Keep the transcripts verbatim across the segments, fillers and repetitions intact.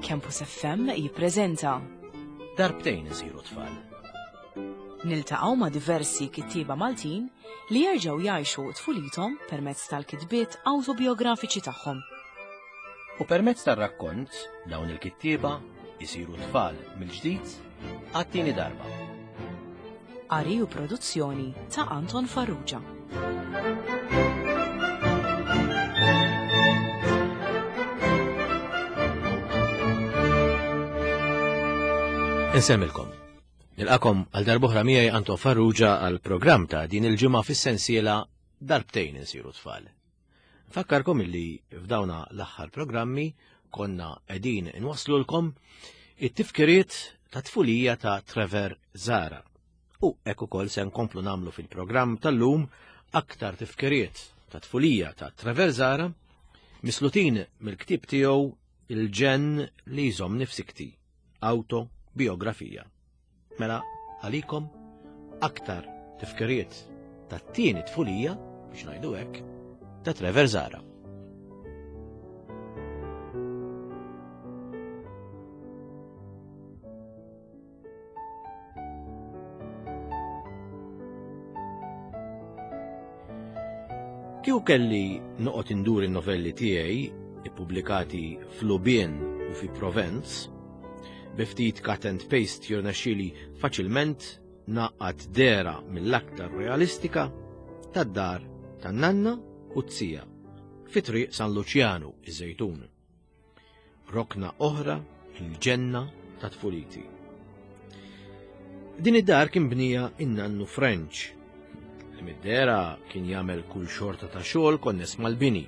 Campus F M jippreżenta Darbtejn isiru tfal. Niltaqgħu ma' diversi kittieba Maltin li jerġgħu jgħixu tfulithom permezz tal-kitbiet awtobiografiċi tagħhom. U permezz tar-rakkont dawn il-kittieba jisiru tfal mill-ġdid għat-tieni darba. Qari u produzzjoni ta' Anton Farrugia. Insemmilkom. Nilqakom għal darb'oħra miegħi Anton Farrugia għal programm ta' din il-ġimgħa fis-sensiela Darbtejn insiru tfal. Nfakkarkom illi f'dawna l-aħħar programmi konna qegħdin inwaslulkom it-tifkiriet ta' tfulija ta' Trevor Zahra. U hekk ukoll se nkomplu nagħmlu fil-programm tal-lum aktar tifkiriet ta' tfulija ta' Trevor Zahra mislutin mill-ktieb tiegħu Il-ġenn li jżommni f'sikti, autobiografija. Mela għalikom aktar tifkiriet tat-tieni tfulija, biex ngħidu hekk, ta' Trevor Zahra. Kieku kelli noqgħod indur in-novelli tiegħi ippubblikati f'Lubien u fi Provenz, bi ftit cut and paste jirnexxieli faċilment naqgħad dera mill-aktar realistika tad-dar tan-nanna u t-sija fi triq San Luċjanu iż-Żejtun. Rokna oħra il-ġenna ta' tfuliti. Din id-dar kien bnija in-nannu French, li mid-dera kien jagħmel kull xorta ta' xogħol konness mal-bini.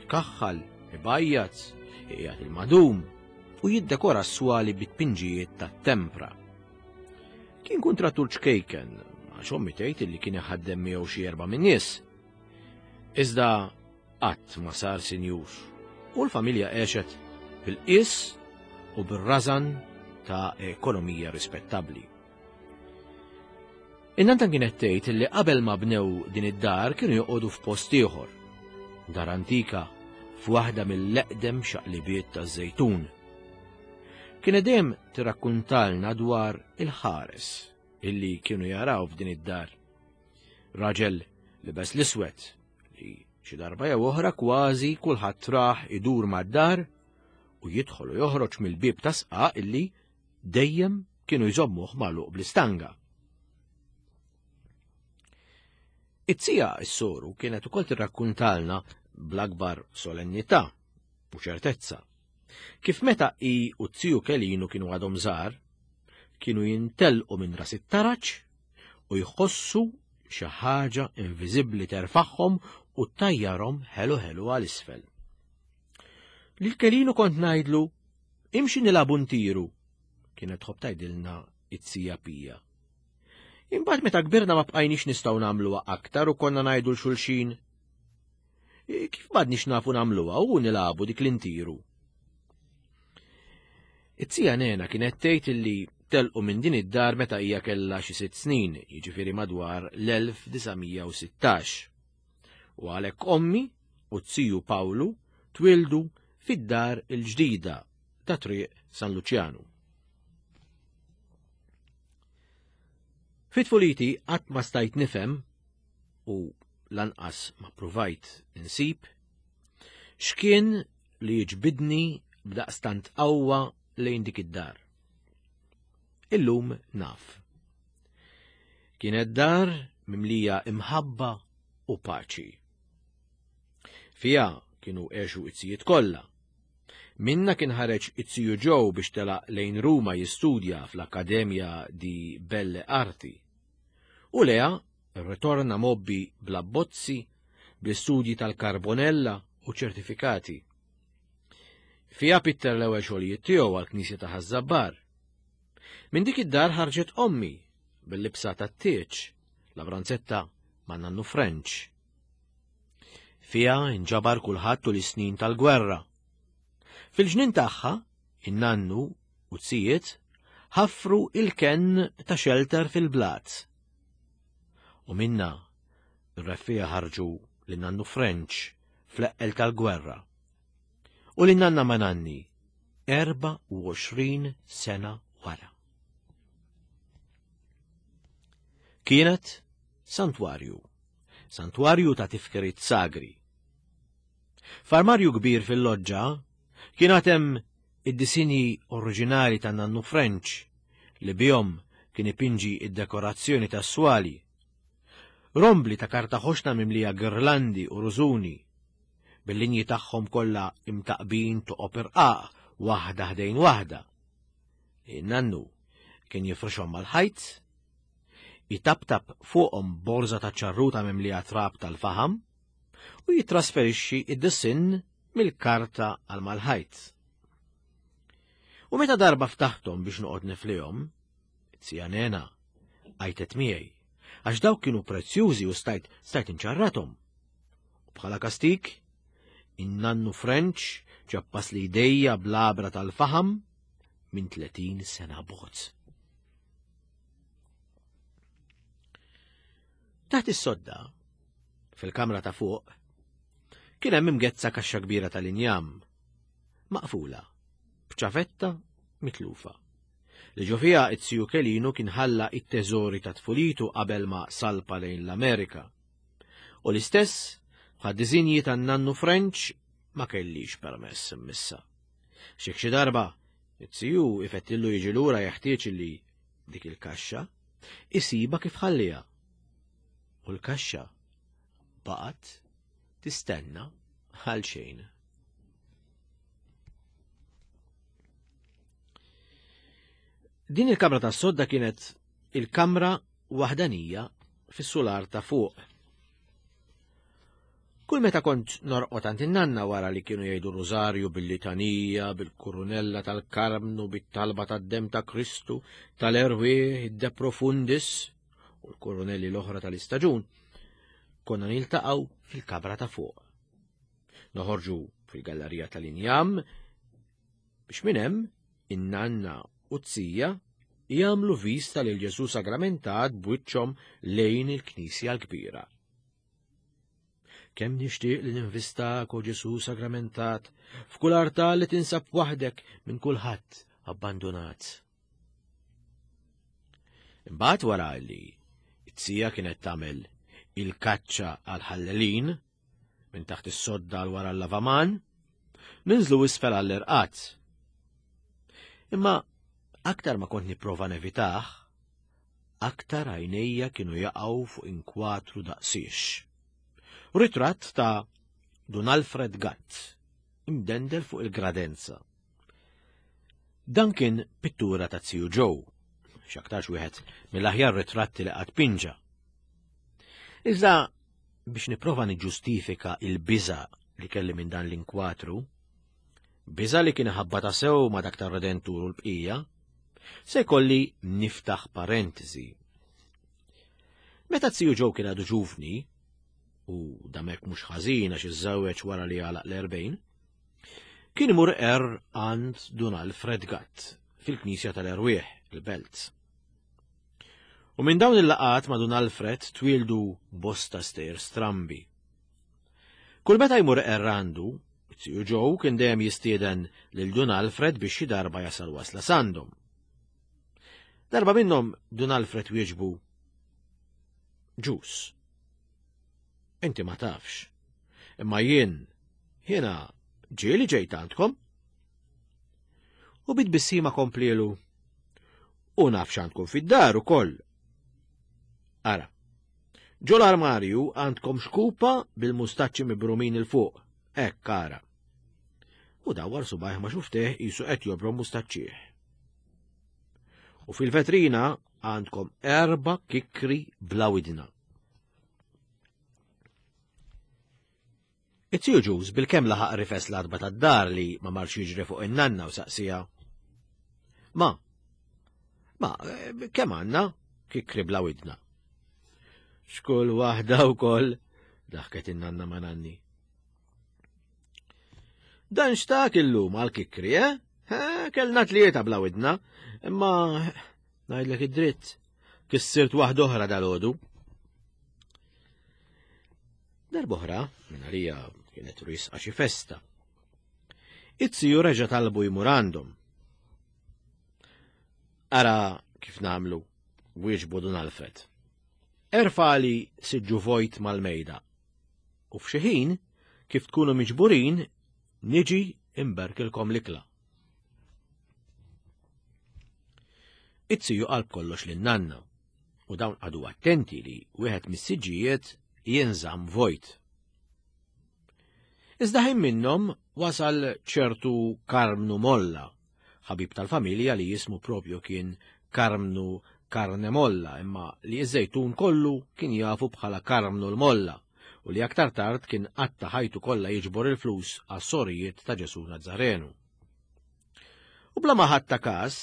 Ikaħħal, ibajjat, iqiegħed il-madum u jiddekora s-swali bit-pinġijiet ta' tempra. Kien kuntrattur ċkejken, għax ommi tgħid li kien iħaddem miegħu xi erba' min-nies. Iżda qatt ma sar sinjur, u l-familja għexet bil-qies u bir-rażan ta' ekonomija rispettabbli. In-nanta kienet tgħid li qabel ma bnew din id-dar kienu joqogħdu f'post ieħor, dar antika f'waħda mill-eqdem xaqlibiet taż-Żejtun. Kienet dejjem tirrakkuntalna dwar il-ħares illi kienu jaraw f'din id-dar. Raġel libes l-iswed li xi darba jew oħra kważi kulħadd raħ idur mad-dar u jidħol u joħroġ mill-bieb ta' sqaq illi dejjem kienu jżommuh magħluq bl-istanga. It-sija s-soru kienet ukoll tirrakkuntalna bl-akbar solennità u ċertezza. Kif meta i u t-tiju Kelinu kienu għadhom żgħar, kienu jintelqu minn ras it-taraġ u jħossu xi ħaġa inviżibbli terfagħhom u tajjarhom ħelu ħelu għal isfel. Lil Kelinu kont ngħidlu, imxi nilagħbu ntiru, kienet tħobb tgħidilna it-sija Pija. Imbagħad meta kbirna ma bqajniex nistgħu nagħmluha aktar u konna ngħidu l xulxin. Kif m'għadniex nafu nagħmluha u nilagħbu dik l-intiru? It-sija Nena kienet tgħid illi telqu minn din id-dar meta hija kellha xi sitt snin, jiġifieri madwar l-elf disa' mija u sittax. U għalhekk ommi u t-siju Pawlu twildu fid-dar il-ġdida ta' triq San Luċjanu. Fit-tfuliti qatt ma stajt nifhem u lanqas ma ppruvajt insib x'kien li jiġbidni b'daqstant qawwa lejn dik id-dar. Illum naf. Kienet dar mimlija imħabba u paċi. Fija kienu għexu it-sijiet kollha. Minna kien ħareġ it-siju Joe biex telaq lejn Ruma jistudja fl-Akkademja di Belle Arti. U Lea rritorna mobbi bl-abbozzi, bl-istudji tal-Carbonella u ċertifikati. Fija pitter l-ewwel xogħlijiet tiegħu għall-Knisja ta' Ħaż-Żabbar. Minn dik id-dar ħarġet ommi bil-libsa tat-tieġ, la branzetta ma' nannu French. Fija nġabar kulħadd tul is-snin tal-gwerra. Fil-ġnien tagħha, in-nannu u t-sijiet ħaffru il-kenn ta' xelter fil-blat. U minna r-reffija ħarġu lin-nannu French fl-eqqel tal-gwerra. U lin-nanna ma' nanni Erbgħa u għoxrin sena wara. Kienet santwarju, santwarju ta' tifkiriet sagri. F'armarju kbir fil-loġġa kien għad hemm id-disinji oriġinali ta' Nannu French li bihom kien ipinġi id-dekorazzjoni tas-swali. Rombli ta' karta ħoxna mimlija girlandi u rużuni, bil-linji tagħhom kollha imtaqbin toqob irqaq waħda ħdejn waħda. In-nannu kien jifrixhom mal-ħajt, jitaptap fuqhom borża ta' ċarruta mimlija trab tal-faħam u jitrasferixxi id-disinn mill-karta għal mal-ħajt. U meta darba ftaħthom biex noqgħod niflihom, it-sija Nena għajtet miegħi, għax dawk kienu prezzjużi u stajt stajt inċarrathom. U bħala kastik, in-nannu French ċappas li jdejja bl-għabra tal-faħam minn tletin sena bogħod. Taħt is-sodda, fil-kamra ta' fuq, kien hemm imgezza kaxxa kbira tal-injam, maqfula, b'ċavetta mitlufa, li ġo fiha it-siju Kelinu kien ħalla it-teżori ta' tfulitu qabel ma salpa lejn l-Amerika. U l-istess bħad disinji tan-nannu French ma kellix permess immissa. Xi xi darba it-siju ifettillu jiġi lura jeħtieġ li dik il-kaxxa isiba kif ħalliha. U l-kaxxa baqgħet tistenna għal xejn. Din il-kamra tas-sodda kienet il-kamra waħdanija fis-sular ta' fuq. Kull meta kont norqod għand in-nanna wara li kienu jgħidu rużarju bil-litanija, bil-kurunella tal-Karmnu, bit-talba tad-demm ta' Kristu, tal-erwieħ, id-De Profundis u l-kurunelli l-oħra tal-istaġun, konna niltaqgħu fil-kamra ta' fuq. Noħorġu fil-gallerija tal-injam biex minn hemm in-nanna u t-sija jagħmlu vista lil Ġesù Sagramentat b'wiċċhom lejn il-Knisja l-Kbira. Kemm nixtieq li ninvistak, o Ġesù Sagramentat, f'kull artal li tinsab waħdek minn kulħadd abbandunat. Imbagħad wara li t-sija kienet tagħmel il-kaċċa għal-ħallelin minn taħt is-sodda għal wara l-lavaman, ninżlu isfel għall-irqat. Imma aktar ma kont nipprova nevitah, aktar għajnejja kienu jaqgħu fuq inkwatru daqsiex. Ritratt ta' Dun Alfred Gatt, imdendel fuq il-gradenza. Dan kien pittura ta' Ziju Joe, x'aktarx wieħed mill-aħjar ritratti li qatt pinġa. Iżda biex nipprova niġġustifika il-biża' li kelli minn dan l-inkwatru, biża' li kien ħabbata sew ma' dak tar-Redentur u l-bqija, se jkolli niftaħ parentesi. Meta Ziju Joe kien għadu ġuvni, u damek mhux ħażin għax iżżewweġ wara li għalaq l-erbgħin, kien imur er għand Dun Alfred Gatt fil-Knisja tal-Erwieħ, il-Belt. U minn dawn il-laqgħat ma' Dun Alfred twieldu bosta stejjer strambi. Kull meta jmur er għandu, Ziju Joe kien dejjem jistieden lil Dun Alfred biex xi darba jasal wasla sandhom. Darba minnhom Dun Alfred wieġbu: Ġus, inti ma tafx, imma jien, jiena ġieli ġejt għandkom. U bit-tbissima komplielu: U naf x'għandkom fid-dar ukoll. Ara, ġol armarju għandkom xkupa bil-mustaċċi mibrumin il-fuq, hekk ara. U dawwar subajh ma xufteh qisu qed jobrom mustaċċih. U fil-vetrina għandkom erba' kikri bla widna. It-tiju Ġuż bil-kemm laħaq rifes l-arba tad-dar li ma marx jiġri fuq in-nanna u saqsija: Ma, ma, kemm għandna kikri bla widna? Xkull waħda wkoll, daħket in-nanna ma' nanni. Dan xtak illum għal kikri, eh? Eh, kellna tlieta bla widna, imma ngħidlek id-dritt, kissirt waħda oħra dal-għodu. Darb'oħra, minn għalija kienet risqa xi festa. It-tiju reġa' talbu jmur għandhom. Ara kif nagħmlu, wieġbu Dun Alfred. Erfali siġġu vojt mal-mejda. U f'xi ħin, kif tkunu miġburin, niġi imberkilkom l-ikla. It-tiju qalb kollox lin-nanna, u dawn qagħdu attenti li wieħed mis-siġġijiet jinżamm vojt. Iżda ħin minnhom wasal ċertu Karmnu Molla, ħabib tal-familja li jismu propju kien Karmnu Karnemolla, imma li iż-Żejtun kollu kien jafu bħala Karmnu l-Molla, u li aktar tard kien qatta ħajtu kollha jiġbor il-flus għas-sorijiet ta' Ġesù Nazzarenu. U bla ma ħadd ta' każ,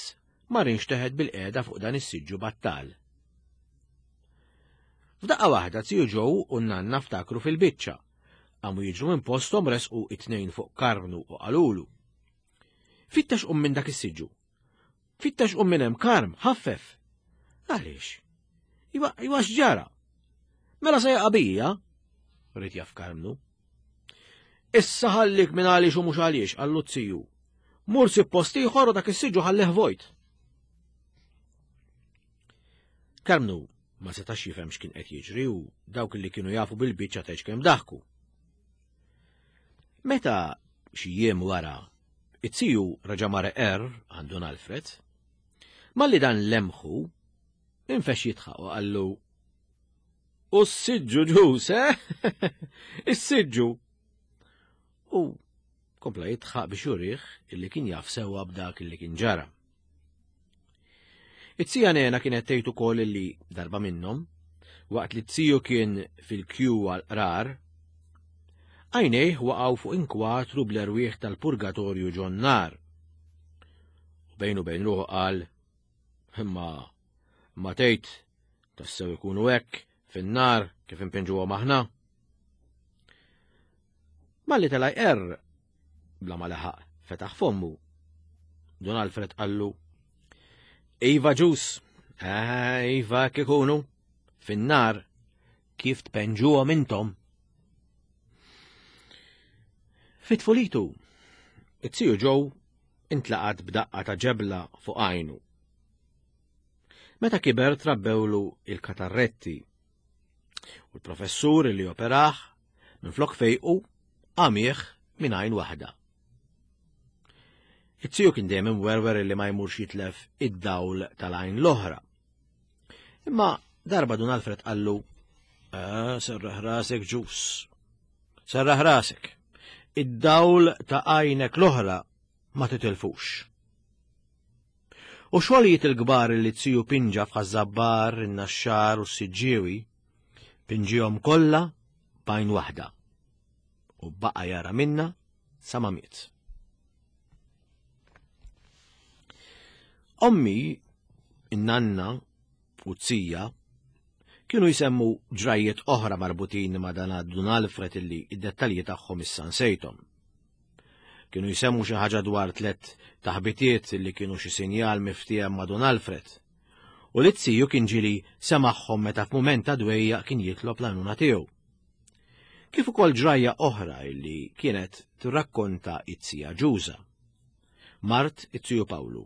mar inxteħet bil-qiegħda fuq dan is-siġġu battal. F'daqqa waħda tiju Joe u n-nanna ftakru fil-biċċa. Qamu jiġru minn posthom resqu it-tnejn fuq Karmnu u qalulu. Fittex qum minn dak is-siġġu. Fittex qum minn hemm Karm, ħaffef. Għaliex? Iwa, iwa x'ġara? Mela se jaqa' bija? Ried jaf Karmnu. Issa ħallik minn għaliex u mhux għaliex, qallu t-tiju. Mur sib post ieħor u dak is-siġġu ħallih vojt. Karmnu ma setax jifhem x'kien qed jiġri u dawk li kienu jafu bil-biċċa tgħidx kemm daħku. Meta xi jiem wara, it-tiju reġa' mar er għand Dun Alfred, malli dan lemħu, infex jidħaq u qallu, U s-siġġu ġus, eh? Is-siġġu! U kompla jidħaq biex jurih illi kien jaf sewwa b'dak illi kien ġara. It-tija Nena kienet tgħid ukoll illi darba minnhom, waqt li t-tiju kien fil-kju għall-qrar, għajnejh waqgħu fuq inkwatru bl-erwieħ tal-purgatorju ġon nar. U bejnu bejn ruħu qal, imma ma tgħid tassew ikunu hekk fin-nar kif impinġuhom aħna. Malli tela' jqerr, bla ma laħaq fetaħ fommu. Dun Alfred qallu, Iva ġus, eh, iva hekk ikunu, fin-nar kif tpenġuhom intom. Fit-tfulitu, it-tiju Joe intlaqat b'daqqa ta' ġebla fuq għajnu. Meta kiber trabbewlu il-katarretti u l-professur li operah minflok fejqu għamieħ minn għajn waħda. It-tiju kien dejjem imwerwer li ma jmurx jitlef id-dawl tal-għajn l-oħra. Imma darba Dun Alfred qallu, ah, serraħ rasek ġus, serraħ rasek, id-dawl ta' għajnek l-oħra ma titilfux. U xogħlijiet il-kbar li t-tiju pinġa f'Ħaż-Żabbar, in-Naxxar u s-Siġġiewi, pinġihom kollha b'għajn waħda u baqa' jara minna sa ma miet. Ommi, in-nanna u t-tija kienu jsemmu ġrajiet oħra marbutin ma' dan Dun Alfred illi id-dettalji tagħhom issa nsejthom. Kienu jsemmu xi ħaġa dwar tliet taħbitiet illi kienu xi sinjal miftiehem ma' Dun Alfred. U li t-tiju kien ġieli semagħhom meta f'mument ta' dwejjaq kien jitlob l-għajnuna tiegħu. Kif ukoll ġrajja oħra illi kienet tirrakkonta it-tija Ġuża, mart it-tiju Pawlu.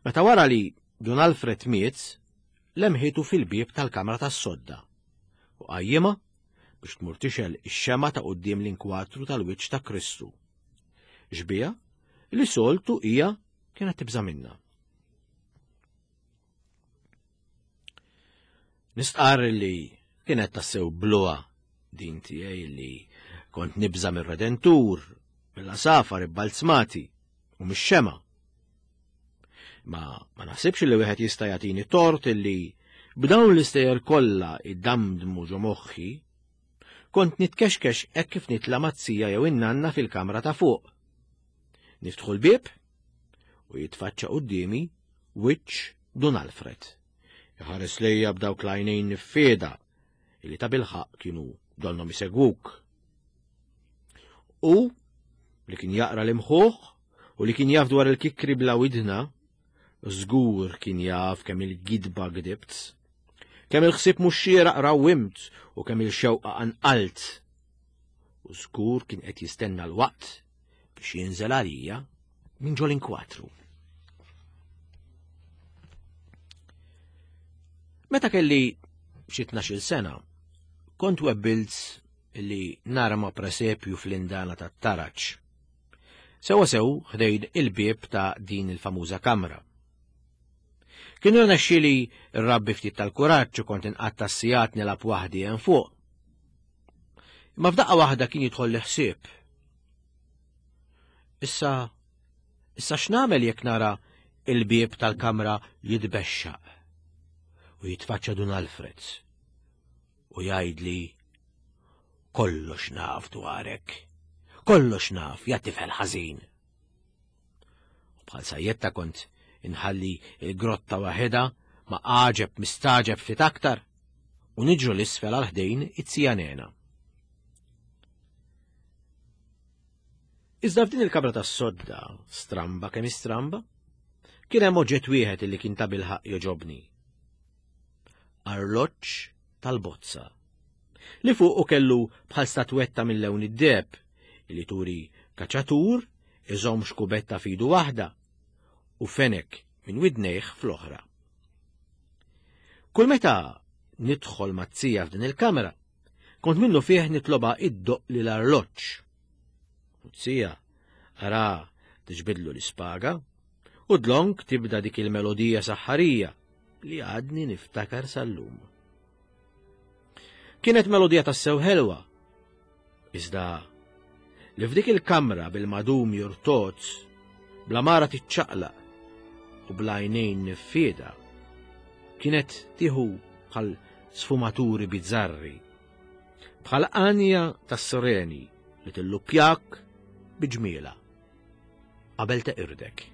Meta wara li Dun Alfred miet, lemħitu fil-bieb tal-kamra tas-sodda u qajjimha biex tmur tixgħel ix-xemgħa ta' quddiem l-inkwatru tal-wiċċ ta' Kristu. Xbieha li soltu hija kienet tibża' minnha. Nistqarr li kienet tassew bluha din tiegħi li kont nibża' mir-Redentur, mill-għasafar ibbalzmati u mix-xemgħa. Ma, ma naħsibx li wieħed jista' jagħtini tort illi b'dawn l-istejjer kollha iddamdmu ġo moħħi, kont nitkexkex hekk kif nitla' mat-tija jew in-nanna fil-kamra ta' fuq. Niftħu l-bieb u jitfaċċa quddiemi wiċċ Dun Alfred. Iħares lejja b'dawk l-għajnejn niffieda illi ta' bilħaq kienu donhom isegwuk. U li kien jaqra l-imħuħ u li kien jaf dwar il-kikri bla widna, żgur kien jaf kemm il-gidba gdibt, kemm il-ħsieb mhux xieraq rawwimt u kemm il-xewqa qanqalt. U żgur kien qed jistenna l-waqt biex biex jinżel għalija minn ġol inkwatru. Meta kelli xi tnax-il sena, kont webbilt li narma presepju fl-indana tat-taraġ. Sewa sew ħdejn il-bieb ta' din il-famuża kamra. Kienu rnexxieli rrabbi ftit tal-kuraġġ u kont inqatta' s-sigħat nilgħab waħdi hemm fuq. Imma f'daqqa waħda kien jidħol li ħsieb. Issa, issa x'nagħmel jekk nara il-bieb tal-kamra jitbexxaq u jitfaċċa Dun Alfred u jgħidli kollox naf dwarek, kollox naf, ja tifel ħażin. U bħal sajjetta kont inħalli il-grotta waħedha ma għaġeb mistaġeb ftit aktar u niġru l-isfel għal ħdejn it-zija Nena. Iżda f'din il-kamra tas-sodda, stramba kemm istramba, kien hemm oġġett wieħed li kien ta' bilħaq joġobni. Arloġġ tal-bozza, li fuqu kellu bħal statwetta minn lewn id-deheb li turi kaċatur iżomm xkubetta f'idu waħda u fenek minn widnejh fl-oħra. Kull meta nidħol mazzija f'din il-kamra, kont minnu fih nitloba id-doq li l-arloġġ. U t-sija ara tiġbidlu l-ispaga u dlonk tibda dik il-melodija saħħarija li għadni niftakar sal-lum. Kienet melodija tassew ħelwa, iżda li f'dik il-kamra bil-madum jurtoz, bla mara tiċċaqlaq u bla għajnejn niffieda, kienet tieħu bħal sfumaturi bizzarri, bħal għanja tas-sireni li tilluppjak biġmiela qabel teqirdek.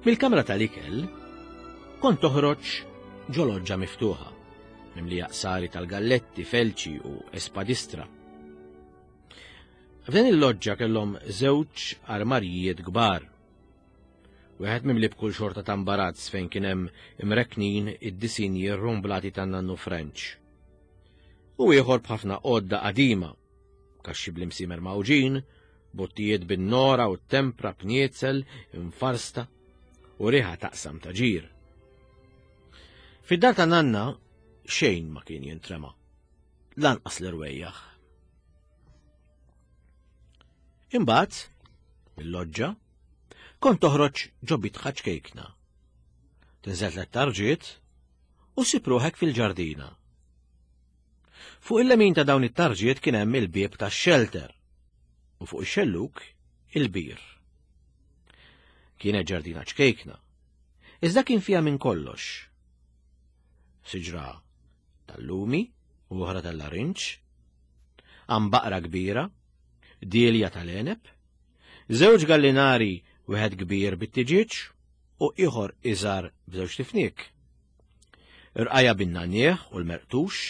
Mill-kamra tal-ikel kont toħroġ ġo loġġa miftuħa, mimlija qsari tal-galletti, felċi u espadistra. F'dan il-loġġa kellhom żewġ armarijiet kbar. Wieħed mimli b'kull xorta ta' imbarazz fejn kien hemm imreknin id-disinji rrumblati tan-nannu French. U ieħor b'ħafna għodda qadima, kaxxi bl-imsimer mawġin, bottijiet bin-nora u tempra b'nietzel infarsta u riħa taqsam ta' ġir. Fid-dar ta' nanna xejn ma kien jintrema, lanqas l-irwejjaħ. Imbagħad, mill-loġġa, kont toħroġ ġo bitħa ċkejkna. Tinżel tliet tarġiet u ssib ruħek fil-ġardina. Fuq il-lemin ta' dawn it-tarġiet kien hemm il-bieb tax-xelter u fuq ix-xelluk il-bir. Kienet ġardina ċkejkna, iżda kien fiha minn kollox. Siġra tal-lumi u oħra tal-larinġ, għambaqra kbira, dielja tal-għeneb, żewġ gallinari, wieħed kbir bit-tiġieġ u ieħor iżgħar b'żewġ tifniek. Irqajja bin-nannieħ u l-merqtux,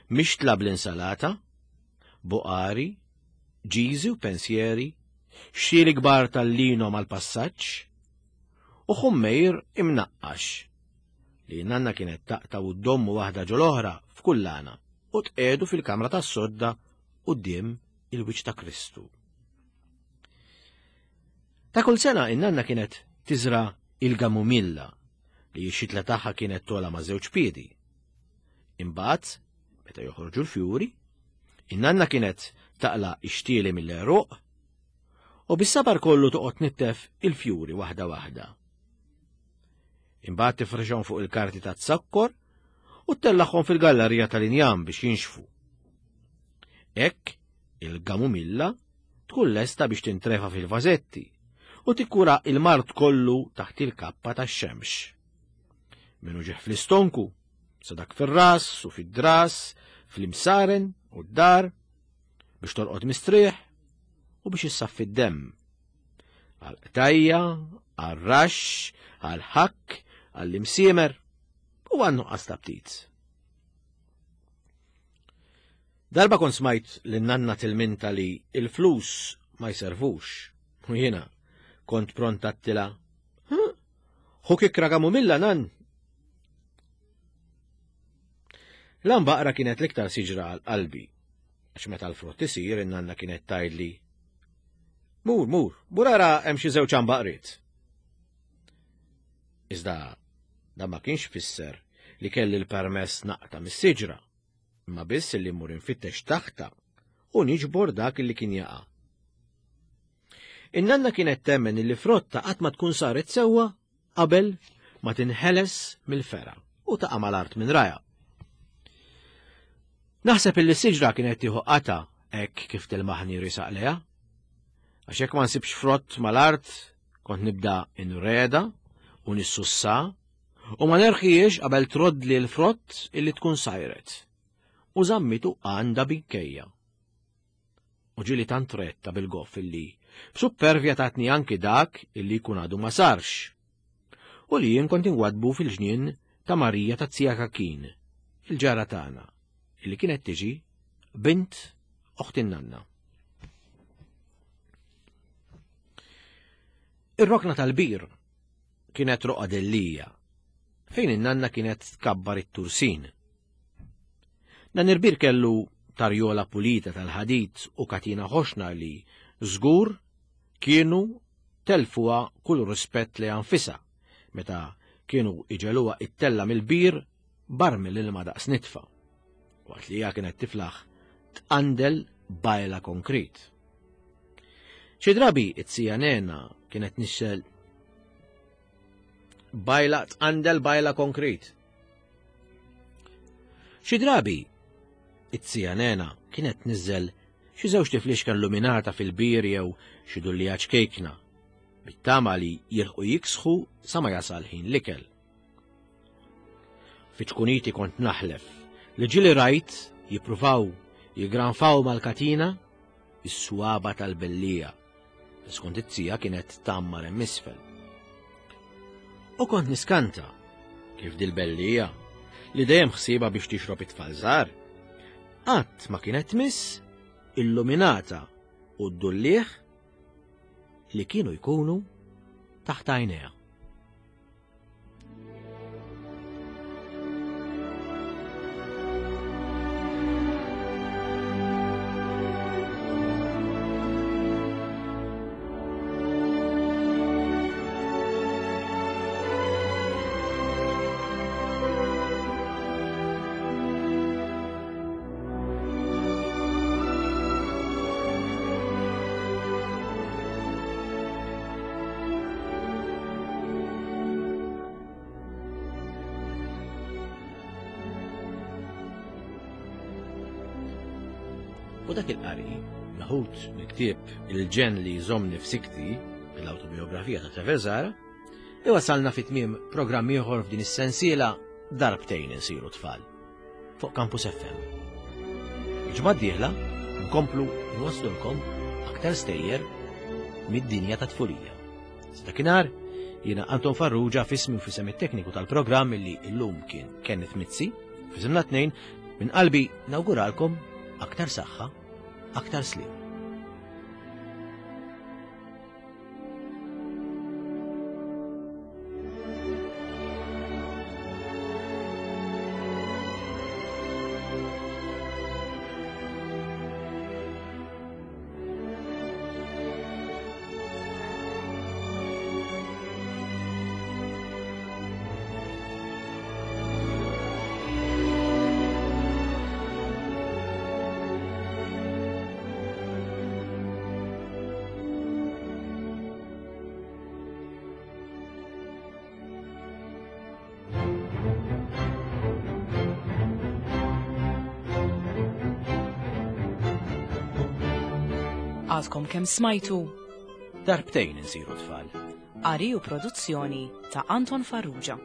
mixtla bl-insalata, buqari, ġiżi u pensjeri, xtieli kbar tal-lino mal-passaġġ u ħummejr imnaqqax li nanna kienet taqta' u ddommu waħda ġol-oħra f'kullana u tqegħdu fil-kamra tas-sodda quddiem il-wiċċ ta' Kristu. Ta' kull sena in-nanna kienet tiżra il-gamumilla li x-xitla tagħha kienet tola ma' żewġ piedi. Imbagħad, meta joħorġu l-fjuri, in-nanna kienet taqla' ix-xtieli mill-għeruq u bis-sabar kollu toqgħod nittef il-fjuri waħda waħda. Imbagħad tifrixhom fuq il-karti ta' zokkor u ttellaħhom fil-gallerija tal-injam biex jinxfu. Hekk il-gamumilla tkun lesta biex tintrefa fil-vażetti u tikkura il-mard kollu taħt il-kappa tax-xemx. Min uġigħ fl-istonku, sa dak fir-ras u fid-dras, fl-imsaren u d-dar, biex torqod mistrieħ u biex issaffi d-demm. Għal-qtajja, għal-raxx, għal-ħakk, għall-imsiemer u għan-nuqqas ta' ptit. Darba kont smajt lin-nanna tilminta li il-flus ma jservux. U jiena kont pronta għedtilha. Ħu kikkra kamumilla, nan. L-għanbaqra kienet l-iktar siġra għal qalbi, għax meta l-frott isir in-nanna kienet tgħidli. Mur, mur, mur ara hemm xi żewġ għanbaqriet. Iżda dan ma kienx fisser li kelli l-permess naqta' mis-siġra, imma biss li mmur infittex taħta u niġbor dak li kien jaqa'. In-nanna kienet temmen li frotta qatt ma tkun saret sewwa qabel ma tinħeles mill-fergħa u taqa' mal-art minn rajha. Naħseb illi s-siġra kienet tieħu qata hekk kif tilmaħni risaq leha. Għax hekk ma nsibx frott mal-art kont nibda inreda u nissussa u ma nerħiex qabel troddli l-frott illi tkun sajret. U żammitu għandha binkejja. U ġieli tant retta bil-goff illi b'suppervja tatni anki dak illi jkun għadu ma sarx. U li jien kont ingwadbu fil-ġnien ta' Marija ta' Zija Kakin, il-ġara tagħna, illi kienet tiġi bint oħt in-nanna. Ir-rokna tal-bir kienet roqa dellija, fejn in-nanna kienet tkabbar it-tursin. Dan il-bir kellu tarjola pulita tal-ħadid u katina ħoxna li żgur kienu telfuha kull rispett li anfisha meta kienu iġeluha it-tella mill-bir barmil ilma daqs nitfa, waqt li hija kienet tiflaħ tqandel bajla konkrit. Xi drabi it-sija Nena kienet nixxel bajla tqandel bajla konkrit. Xi drabi it-sija Nena kienet tniżżel xi żewġ tiflixka illuminata fil-bir jew xi dullija ċkejkna, bit-tama li jilħqu jiksħu sa ma jasal ħin l-ikel. Fi ċkuniti kont naħlef li ġieli rajt jippruvaw jigranfaw mal-katina is-swaba tal-bellija, li skont it-tija kienet tammar hemm isfel. U kont niskanta kif dil-bellija, li dejjem ħsieba biex tixrob it-tfal żgħar, qatt ma kienet tmiss illuminata u d-dullieħ li kienu jkunu taħt għajnejha. U dak il-qari, meħud mill-ktieb Il-ġenn li jżommni f'sikti, l-awtobiografija ta' Trevor Zahra, iwasalna fi tmiem programm ieħor f'din is-sensiela Darbtejn insiru tfal fuq Campus F M. Il-ġimgħa d-dieħla nkomplu nwaslulkom aktar stejjer mid-dinja ta' tfulija. Sa dakinhar, jiena Anton Farrugia f'ismi u f'isem it-tekniku tal-programm illi llum kien Kenneth Mizzi, f'isimna tnejn, minn qalbi nawguralkom aktar saħħa, aktar sliem. Għadkom kemm smajtu Darbtejn insiru tfal. Qari u produzzjoni ta' Anton Farrugia.